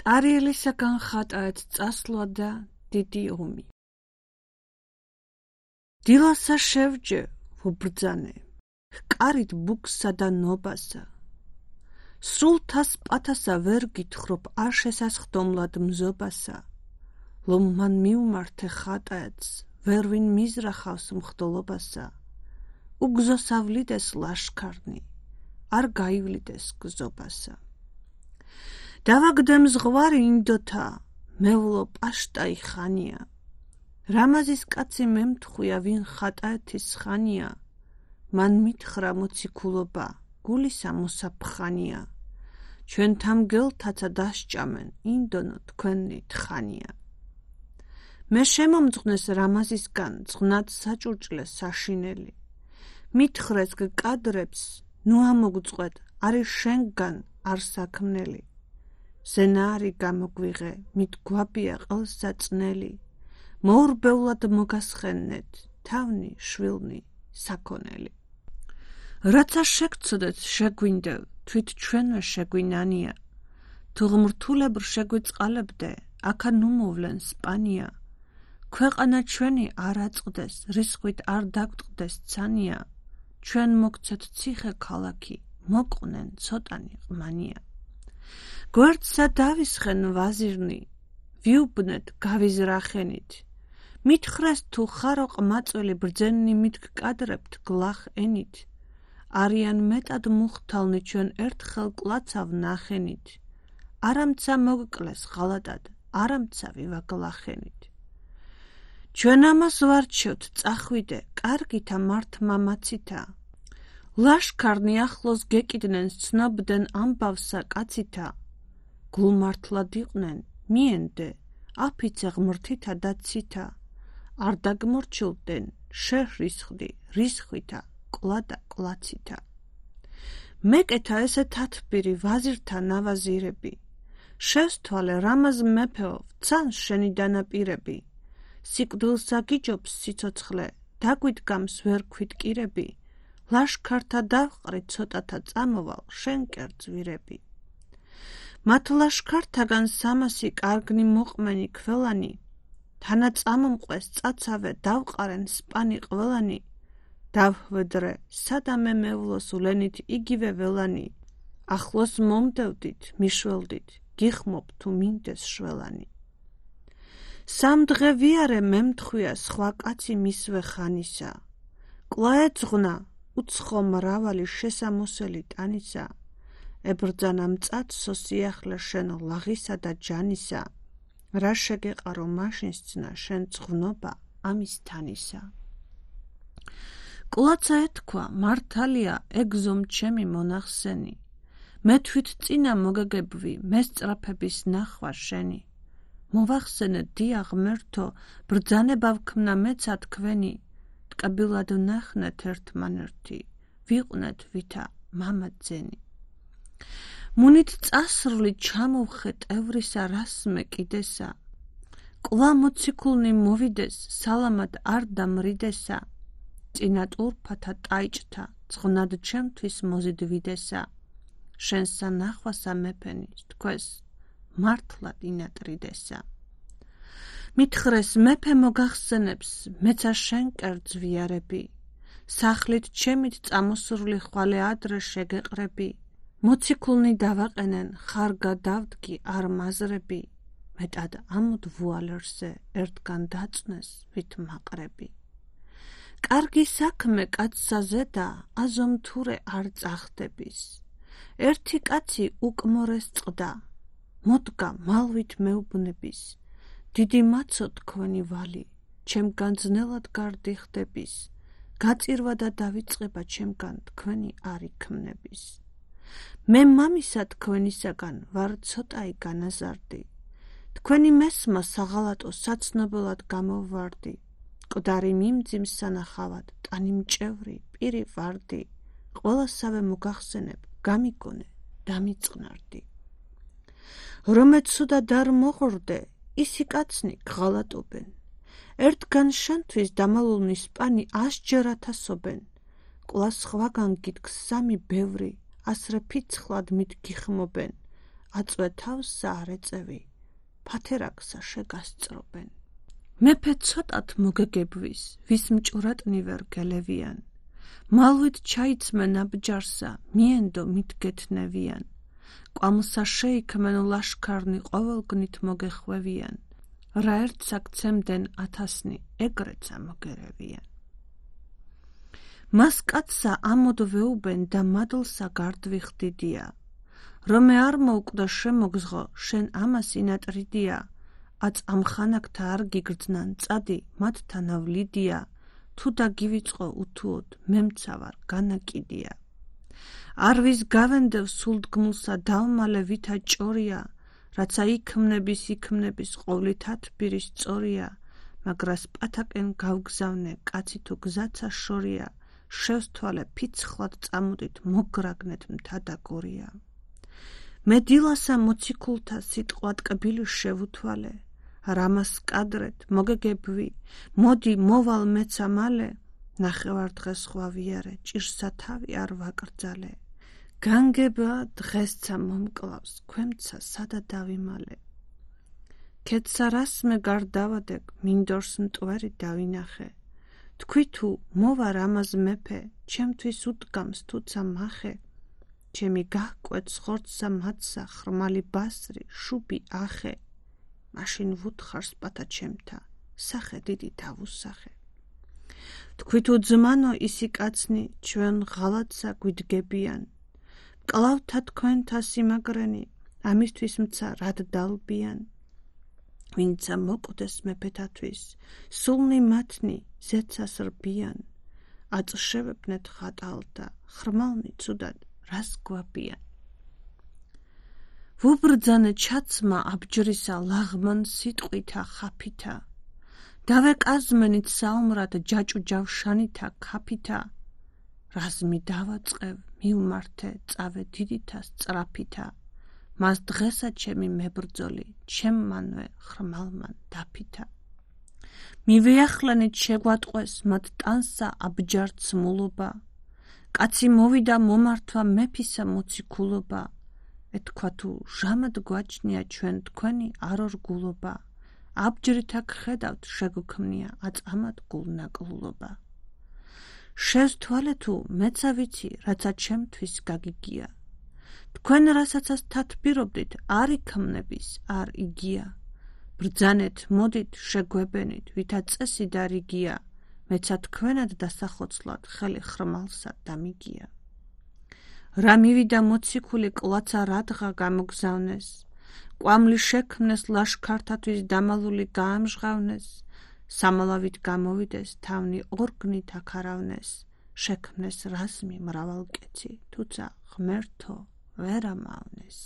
კარიელისაგან ხატაეთ წასვლა და დიდი ომი. დილასა შევჯე ვუბრძანე, კარით ბუქსა და ნობასა. სრულთას პათასა ვერ გითხრობ არ შესასხდომლად მზობასა. ლომ მან მიუმართე ხატაეთს, ვერვინ მიზრახავს მხდოლობასა. უგზოსავლიდეს ლაშქარნი, არ გაივლიდეს გზობასა. დავაგდემ ზღვარი ინდოთა, მევლო პაშტაი ხანია. რამაზის კაცი მემთხვია, ვინ ხატაეთის ხანია. მან მითხრა მოციქულობა, გულისა მოსაფხანია. ჩვენ თამგელთაცა დასჭამენ, ინდონო თქვენი თხანია. მე შემომძღნეს რამაზისგან, ძღნად საჭურჭლეს საშინელი. მითხრეს გკადრებს, ნუ ამოგწყვეთ, არის შენგან არ საქმნელი. ზენარი გამოგვიღე, მითგვაბია ყელსა წნელი. მოურბევლად მოგასხენეთ, თავნი, შვილნი, საქონელი. რაცა შეგცოდეთ შეგვინდევ, თვით ჩვენვე შეგვინანია. თუ ღმრთულებრ შეგვიწყალებდე, აქა ნუ მოვლენ სპანია. ქვეყანა ჩვენი არ აწყდეს, რისხვით არ დაგტყდეს ცანია. ჩვენ მოგცეთ ციხე ქალაქი, მოყვნენ ცოტანი ყმანია. გვერდსა დავისხენ ვაზირნი, ვიუბნეთ გავიზრახენით. მითხრეს თუ ხარო ყმაწვილი ბრძენი მითგკადრებთ გლახ ენით. არიან მეტად მუხთალნი ჩვენ ერთხელ კლაცავ ნახენით. არამცა მოგკლეს ღალატად, არამცა ვივაგლახენით. ჩვენ ამას ვარჩევთ წახვიდე, კარგითა მართმა მაცითა. ლაშქარნი ახლოს გეკიდნენ, ცნობდნენ ამბავსა კაცითა. გულმართლად იყვნენ, მიენდე, აფიცე ღმრთითა და ცითა. არ დაგმორჩილდნენ, შერისხდი, რისხვითა, კლადა კლაცითა. მეკეთა ესე თათბირი ვაზირთა ნავაზირები. შევსთვალე რამაზ მეფეო, ვცანს შენი დანაპირები. სიკვდილსა გიჯობს სიცოცხლე, დაგვიდგამს ვერ ქვიტკირები. ლაშქართა დავყრი ცოტათა წამოვალ, შენ კერძვირები. მათ ლაშქართაგან სამასი კარგნი მოყმენი ქველანი. თანა წამომყვეს წაცავე დავყარენ სპანი ყველანი. დავჰვედრე, სადამე მევლოს ვლენით იგივე ველანი. ახლოს მომდევდით, მიშველდით, გიხმობ თუ მინდეს შველანი. სამ დღე ვიარე მემთხვია სხვა კაცი მისვე ხანისა. კლაეძღვნა, უცხო მრავალი შესამოსელი ტანისა. ებრძანა მწაცსო სიახლე შენ ლაღისა და ჯანისა. რა შეგეყარო მაშინს ძნა შენ ძღვნობა ამის თანისა. კლაცა ეთქვა, მართალია ეგზომ ჩემი მონახსენი. მე თვით წინა მოგეგებვი, მესწრაფების ნახვა შენი. მოვახსენე დია ღმერთო, ბრძანება ვქმნა მეცა თქვენი. ტკბილად ვნახნეთ ერთმანერთი, ვიყვნეთ ვითა მამა ძენი. მუნით წასრლი ჩამოვხე ტევრისა რასმე კიდესა. კლა მოციქულნი მოვიდეს, სალამად არ დამრიდესა. წინა ტურფათა ტაიჭთა, ძღნად ჩემთვის მოზიდვიდესა. შენსა ნახვასა მეფენი, თქვეს მართლად ინატრიდესა. მითხრეს მეფე მოგახსენებს, მეცა შენ კერძვიარები. სახლით ჩემით წამოსრული ხვალე ადრე შეგეყრები. მოციქულნი დავაყენენ, ხარ გადავდგი არ მაზრები. მეტად ამოდ ვუალერსე, ერთგან დაწნეს ვით მაყრები. კარგი საქმე კაცსა ზედა, აზომთურე არ წახდების. ერთი კაცი უკმორეს წყდა, მოდგა მალვით მეუბნების. დიდი მაცო თქვენი ვალი, ჩემგან ძნელად გარდიხდების. გაწირვა და დავიწყება ჩემგან თქვენი არ იქმნების. მე მამისა თქვენისაგან ვარ ცოტაი განაზარდი. თქვენი მესმა საღალატო საცნობელად გამოვარდი. მკვდარი მიმძიმს სანახავად, ტანი მჭევრი, პირი ვარდი. ყველასავე მოგახსენებ, გამიგონე, დამიწყნარდი. რომე ცუდად არ მოღორდე, ისი კაცნი გღალატობენ. ერთგან შენთვის დამალულნი სპანი ასჯერ ათასობენ. კვლას სხვაგან გითქს სამი ბევრი, ასრე ფიცხლად მით გიხმობენ. აწვეთავსა არ ეწევი, ფათერაკსა შეგასწრობენ. მეფე ცოტათ მოგეგებვის, ვის მჭურატნი ვერ გელევიან. მალვით ჩაიცმენ აბჯარსა, მიენდო მითგეთნევიან. კვამლსა შეიქმენ ლაშქარნი ყოველგნით მოგეხვევიან. რა ერთსა გცემდენ 1000-ნი, ეგრეცა მოგერევიან. მას კაცსა ამოდ ვეუბენ და მადლსა გარდვიხდიდია. რომე არ მოუკვდა შემოგზღო, შენ ამას ინატრიდია. აწ ამხანაგთა არ გიგრძნან წადი, მათთან ავლიდია. თუ დაგივიწყო უთუოდ, მემცავარ განაკიდია. არ ვის გავენდევ სულდგმულსა დავმალე ვითა ჭორია, რაცა იქმნების ყოვლით თბირის სწორია, მაგრას პათაკენ გავგზავნე, კაცი თუ გზაცა შორია, შევსთვალე ფიცხლად წამოდით, მოგრაგნეთ მთა და გორია. მე დილასა მოციქულთა სიტყვა ტკბილი შევუთვალე, რამას კადრეთ, მოგეგებვი, მოდი მოვალ მეცა მალე, ნახევარ დღეს ხვა ვიარე, ჭირსა თავი არ ვაკრძალე. განგება დღესცა მომკლავს, ქვემცა სადა დავიმალე. ქეთსა რას მე გარდავადეკ, მინდორს მტვერი დავინახე. თქვი თუ მოვარ ამაზ მეფე, ჩემთვის უდგამს თუცა მახე. ჩემი გაჰკვეთ ხორცსა მათსა, ხრმალი ბასრი, შუბი ახე. მაშინ ვუთხარს პათა ჩემთა, სახე დიდი დავუსახე. თქვი თუ ძმანო ისი კაცნი, ჩვენ ღალატსა გვიდგებიან. მკლავთა თქვენთა სიმაგრენი, ამისთვის მცა რად დალბიან. ვინცა მოკვდეს მეფეთათვის, სულნი მათნი ზეცას რბიან. აწშევებნეთ ხატალთა, ხრმალნი ცუდად რას გვაბიან. ვუბრძანე ჩაცმა აბჯრისა ლაღმან სიტყვითა ხაფითა. დავეკაზმენით საომრად ჯაჭუ ჯავშანითა ქაფითა. რაზმი დავაწყევ მიუმართე წავე დიდითა სწრაფითა. მას დღესა ჩემი მებრძოლი, ჩემმანვე ხრმალმან დაფითა. მივეახლენით შეგვატყვეს მათ ტანსა აბჯარ ცმულობა. კაცი მოვიდა მომართვა მეფისა მოციქულობა. ეთქვა თუ ჟამად გვაჩნია ჩვენ თქვენი არ ორგულობა. აბჯრითა გხედავთ შეგუქმნია აწამად გულნაკლულობა. შევსთვალე თუ მეცა ვიცი, რაცა ჩემთვის გაგიგია. თქვენ რასაცაც თათბირობდით, არ იქმნების, არ იგია. ბრძანეთ, მოდით, შეგვებენით, ვითა წესი და რიგია. მეცა თქვენად დასახოცლად ხელი ხრმალსა დამიგია. რა მივიდა მოციქული კლაცა რადღა გამოგზავნეს. კვამლი შექმნეს ლაშქართათვის დამალული გაამჟღავნეს. სამალავით გამოვიდეს, თავნი ორგნით აქარავნეს. შექმნეს რაზმი მრავალკეცი, თუცა ღმერთო ვერ ამავნეს.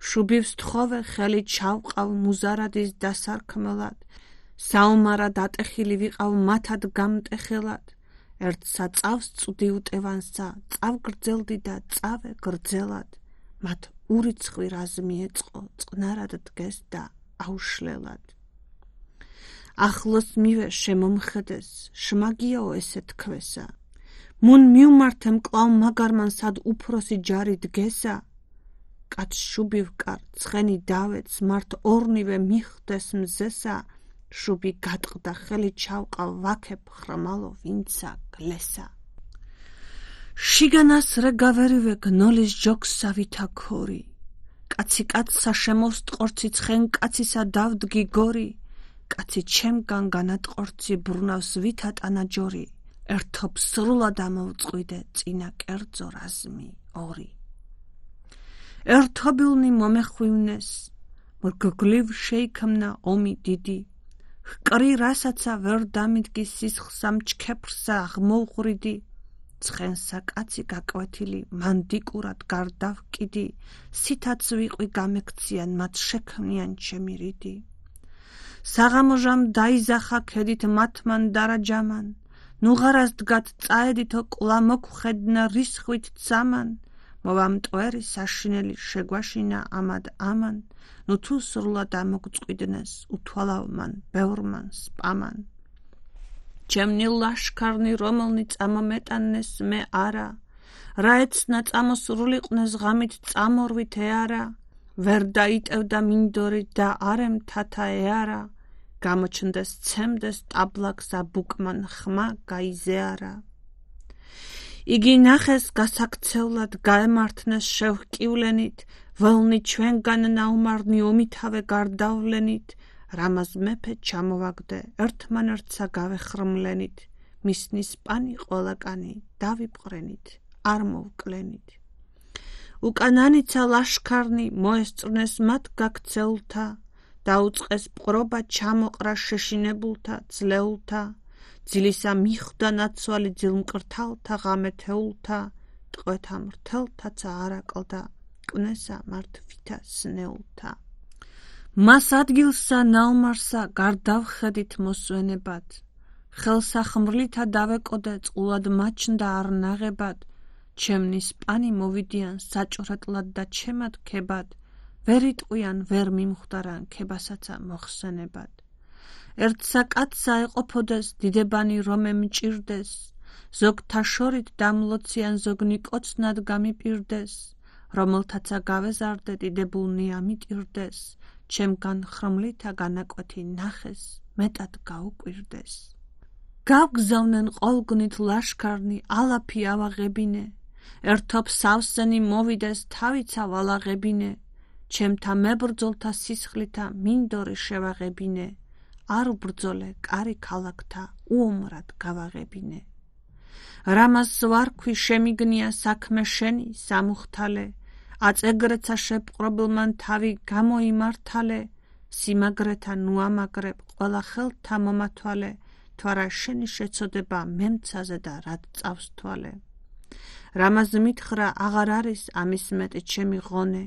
შუბივს თხოვე ხელი ჩავყავ მუზარადის დასარქმელად. საომარად ატეხილი ვიყავ მათად გამტეხელად. ერთ საწავს წვდი უტევანსა, წავგრძელდი და წავე გრძელად. მათ ურიცხვი რაზმი ეწყო, წყნარად დგეს და აუშლელად. ახლოს მივე შემომხედეს, შმაგიაო ესე თქვესა. მუნ მიუმართე მკლავ მაგარმან სად უფროსი ჯარი დგესა. კაც შუბი ვკარ, ცხენი დავეც, მართ ორნივე მიხდეს მზესა. შუბი გატყდა ხელი ჩავყავ ვაქებ ხრმალო ვინცა გლესა. შიგანას რე გავერივე გნოლის ჯოგსა ვითა ქორი. კაცი კაცსა შემოსტყორცი ცხენ კაცისა დავდგი გორი. კაცი ჩემგან განატყორცი ბრუნავს ვითა ტანაჯორი. ერთობ სრულად ამოვწყვიდე წინა კერძო რაზმი ორი. ერთობილნი მომეხვივნეს, მრგგლივ შეიქმნა ომი დიდი. ჰკრი რასაცა ვერ დამიდგის სისხლსა მჩქეფრსა აღმოუღრიდი. ცხენსა კაცი გაკვეთილი მანდიკურად გარდავკიდი. სითაც ვიყვი გამექციან მათ შექმნიან ჩემი რიდი. საღამოჟამ დაიზახა ქედით მათმან დარაჯამან. ნუღარას დგათ წაედითო კლა მოგხედნა რისხვით წამან. მოვამტვერი საშინელი შეგვაშინა ამად ამან. ნუ თუ სრულად ამოგწყვიდნეს უთვალავმან ბევრმან სპამან. ჩემნი ლაშქარნი რომელნი წამომეტანეს მე არა. რა ეცნა წამოსრულიყვნეს ღამით წამორვით ეარა. ვერ დაიტევდა მინდორი და არემ თათა ეარა, გამოჩნდეს ცემდეს ტაბლაკსა ბუკმან ხმა გაიზეარა. იგი ნახეს გასაქცევლად გაემართნეს შევჰკივლენით, ველნი ჩვენგან ნაუმარნი ომითავე გარდავლენით, რამაზ მეფე ჩამოვაგდე ერთმანერთსა გავეხრმლენით, მისნის პანი ყველაკანი დავიპყრენით, არ მოვკლენით. უკანანიცა ლაშქარნი მოესწრნეს მათ გაქცეულთა, დაუწყეს პყრობა ჩამოყრა შეშინებულთა, ძლეულთა, ძილისა მიხვდა ნაცვალი ძილმკრთალთა ღამეთეულთა, ტყვეთა მრთელთაცა არაკლდა, კვნესა მართვითა სნეულთა. მას ადგილსა ნაუმარსა გარდავხედით მოსვენებად, ხელსახმრლითა დავეკოდე წყულად მაჩნდა არ ნაღებად, ჩემნის პანი მოვიდიან საჭრეტლად და ჩემად ქებად, ვერ იტყვიან ვერ მიმხვდარან ქებასაცა მოხსენებად. ერთსა კაცსა ეყოფოდეს დიდებანი რომე მჭირდეს, ზოგთა შორით დამლოციან ზოგნი კოცნად გამიპირდეს, რომელთაცა გავეზარდე დიდებულნი ამიტირდეს, ჩემგან ხრმლითა განაკვეთი ნახეს, მეტად გაუკვირდეს. გავგზავნენ ყოლგნით ლაშქარნი, ალაფი ავაღებინე, ერთობ სავსენი მოვიდეს თავიცა ვალაღებინე, ჩემთა მებრძოლთა სისხლითა მინდორი შევაღებინე, არ უბრძოლე კარი ქალაქთა უომრად გავაღებინე. რამას ვარქვი შემიგნია საქმე შენი სამუხთალე, აწეგრეცა შეპყრობილმან თავი გამოიმართალე, სიმაგრეთა ნუამაგრებ ყველა ხელთა მომათვალე, თვარა შენი შეცოდება მემცაზე და რად წავს თვალე. რამაზ მითხრა აღარ არის ამის მეტი ჩემი ღონე,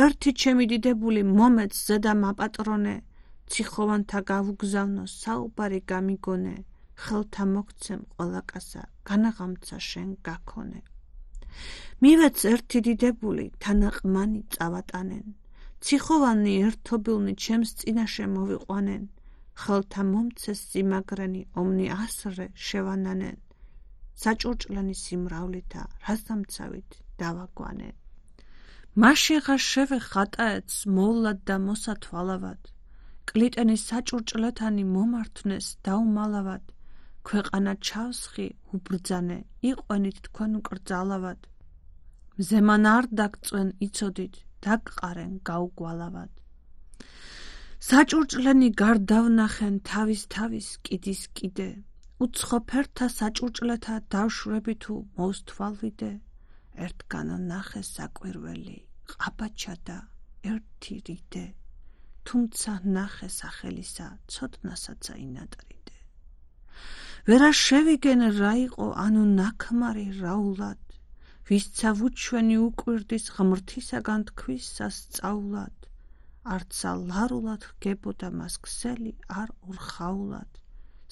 ერთი ჩემი დიდებული მომეც ზედა მაპატრონე, ციხოვანთა გავუგზავნო საუბარი გამიგონე, ხელთა მოგცემ ყველა კაცსა განაღამცა შენ გაქონე. მივეც ერთი დიდებული თანაყმანი წავატანენ, ციხოვანი ერთობილნი ჩემს წინაშე მოვიყვანენ, ხელთა მომცეს სიმაგრენი ომნი ასრე შევანანენ, საჭურჭლენი სიმრავლითა რაზამცავით დავაგვანენ. მაშინღა შევე ხატაეთს მოვლად და მოსათვალავად, კლიტენის საჭურჭლეთანი მომართვნეს დაუმალავად, ქვეყანა ჩავსხი უბრძანე, იყვენით თქვენ უკრძალავად, მზემან არ დაგწვენ იცოდით, დაგყარენ გაუგვალავად. საჭურჭლენი გარდავნახენ თავის კიდის კიდე, უცხო ფერთა საჭურჭლეთა დავშვები თუ მოსთვალვიდე, ერთგან ნახე საკვირველი, ყაბაჩა და ერთი რიდე, თუმცა ნახე სახელისა, ცოდნასაცა ინატრიდე. ვერა შევიგენ რა იყო ანუ ნაქმარი რაულად, ვისცა ვუჩვენი უკვირდის ღმრთისაგან თქვისა სწავლად, არცა ლარულად ჰგებოდა მას ქსელი არ ურხაულად,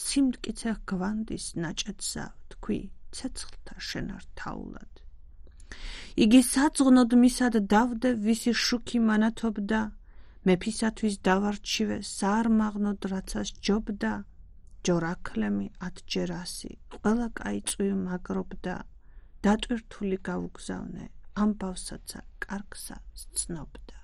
სიმტკიცე გვანდის ნაჭედსა თქვი ცეცხლთა შენართაულად. იგი საძღნოდ მისად დავდე ვისი შუქი მანათობდა, მეფისათვის დავარჩივე საარმაღნოდ რაცას ჯობდა, ჯორაქლემი ათჯერასი ყველა კაი მაგრობდა, დატვირთული გავუგზავნე ამბავსაცა კარგსა სცნობდა.